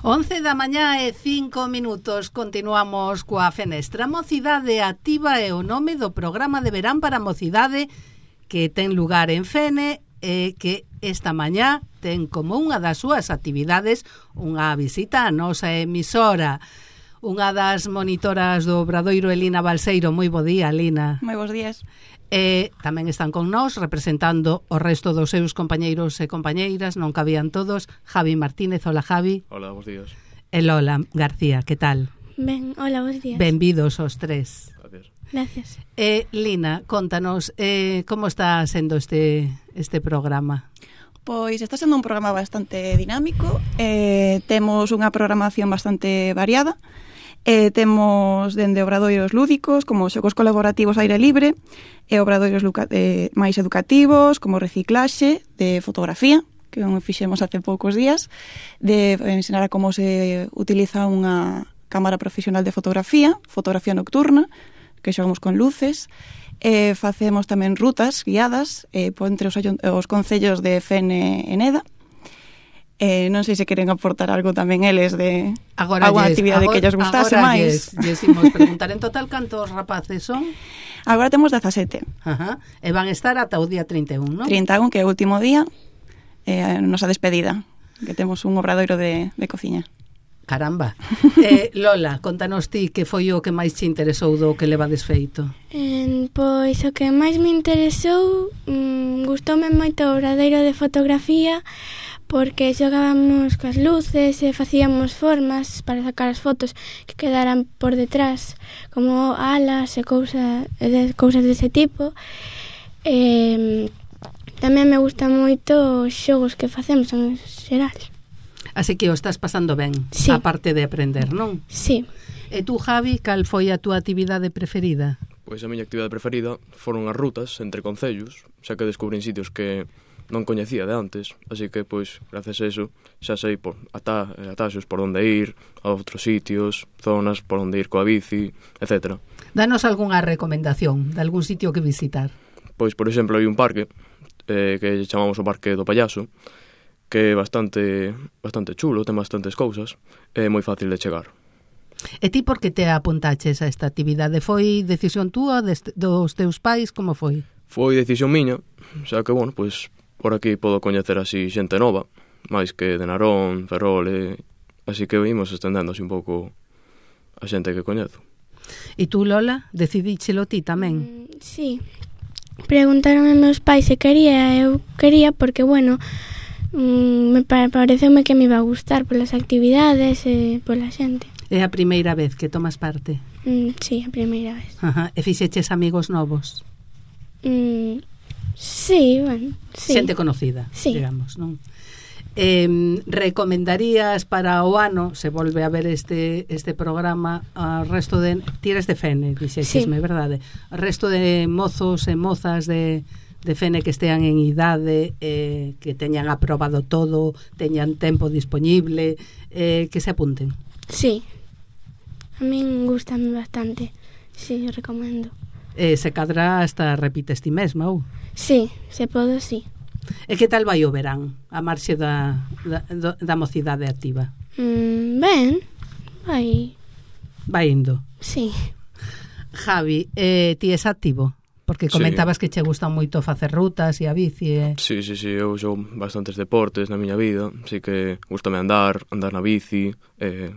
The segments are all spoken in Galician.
11 da mañá e 5 minutos. Continuamos coa Fenestra. Mocidade Activa é o nome do programa de verán para a mocidade que ten lugar en Fene e que esta mañá ten como unha das súas actividades unha visita á nosa emisora. Unha das monitoras do Obradoiro, Lina Balseiro. Moi bo día, Lina. Moi bons días. Tamén están con nós representando o resto dos seus compañeiros e compañeiras, non cabían todos. Javi Martínez, hola Javi. Hola, bons días. E Lola García, que tal? Ben, hola, bons días. Benvidos os tres. Gracias. Gracias. Lina, contanos, como está sendo este programa? Pois está sendo un programa bastante dinámico, temos unha programación bastante variada, temos dende obradoiros lúdicos, como xogos colaborativos aire libre, e obradoiros máis educativos, como reciclaxe de fotografía, que fixemos hace poucos días, de ensinar a como se utiliza unha cámara profesional de fotografía nocturna, que xogamos con luces, facemos tamén rutas guiadas entre os concellos de Fene e Neda. Non sei se queren aportar algo tamén eles de alguna actividade que ellos gustase máis. Agora imos preguntar en total cantos rapaces son? Agora temos 17. Ajá. E van estar ata o día 31, non? 31, que é o último día, a nosa despedida, que temos un obradoiro de cociña. Caramba. Lola, contanos ti que foi o que máis te interesou do que levades feito. Pois o que máis me interesou, gustoume moito o obradoiro de fotografía, porque xogábamos coas luces e facíamos formas para sacar as fotos que quedaran por detrás, como alas e cousas dese tipo. Tamén me gustan moito os xogos que facemos en xeral. Así que o estás pasando ben, sí. A parte de aprender, non? Sí. E tú, Javi, cal foi a túa actividade preferida? Pois a miña actividade preferida foron as rutas entre concellos, xa que descubrín sitios que non coñecía de antes, así que, pois, gracias a eso, xa sei por ataxos por onde ir, a outros sitios, zonas por onde ir coa bici, etc. Danos algunha recomendación de algún sitio que visitar. Pois, por exemplo, hai un parque que chamamos o Parque do Pallaso, que é bastante chulo, ten bastantes cousas, é moi fácil de chegar. E ti por que te apuntaches a esta actividade? Foi decisión túa, dos teus pais, como foi? Foi decisión miña, xa que, bueno, pois, por aquí podo coñecer así xente nova, máis que de Narón, Ferrol, así que vimos estendendo así un pouco a xente que coñezo. E tú, Lola, decidíchelo ti tamén? Sí. Preguntaron a meus pais se quería, eu quería porque, bueno, pareceume que me iba a gustar polas actividades e pola xente. É a primeira vez que tomas parte? Sí, a primeira vez. Ajá. E fixeches amigos novos? Sí, bueno, sí. Xente conocida, sí. Digamos, non? Recomendarías para o ano, se volve a ver este programa, ao resto de... Tires de Fene, dixexesme, sí. Verdade? Ao resto de mozos e mozas de Fene que estean en idade, que teñan aprobado todo, teñan tempo disponible, que se apunten. Sí, a min gustame bastante, sí, eu recomendo. Se cadra hasta repites ti mesma, ou? Sí, se podo, sí. E que tal vai o verán, a marxe da mocidade activa? Ben, vai indo. Sí. Javi, ti és activo? Porque comentabas que che gustan moito facer rutas e a bici. Sí, eu xogo bastantes deportes na miña vida, así que gustame andar na bici,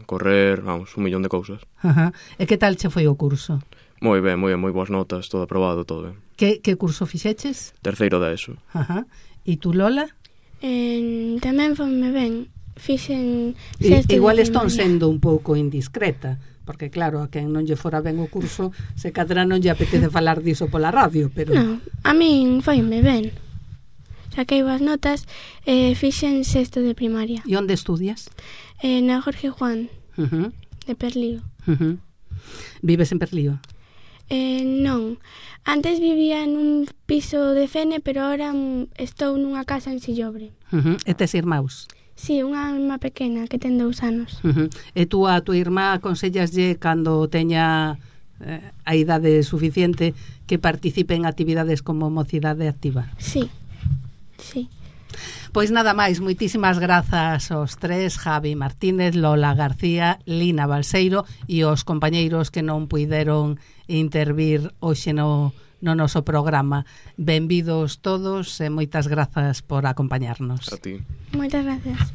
correr, vamos, un millón de cousas. Ajá. E que tal che foi o curso? Moi ben, moi boas notas, todo aprobado, todo ben. Que curso fixeches? Terceiro da ESO. Ajá. E tú, Lola? Tamén foi-me ben. Fixen igual están sendo un pouco indiscreta, porque claro, a quen non lle fora ben o curso, se cadra non lle apetece falar diso pola radio, pero... Non, a min foi-me ben. Saquei boas notas, fixen sexto de primaria. E onde estudias? Na Jorge Juan, de Perlío. Vives en Perlío? Non, antes vivía nun piso de Fene, pero ahora estou nunha casa en Sillobre. E tes irmãos? Sí, unha irmá pequena que ten 2 anos. E tú a tua irmá aconsellaslle cando teña a idade suficiente que participe en actividades como mocidade activa? Sí, sí. Pois nada máis, moitísimas grazas aos tres, Javi Martínez, Lola García, Lina Balseiro e os compañeiros que non puideron intervir hoxe no noso programa. Benvidos todos e moitas grazas por acompañarnos. A ti. Moitas gracias.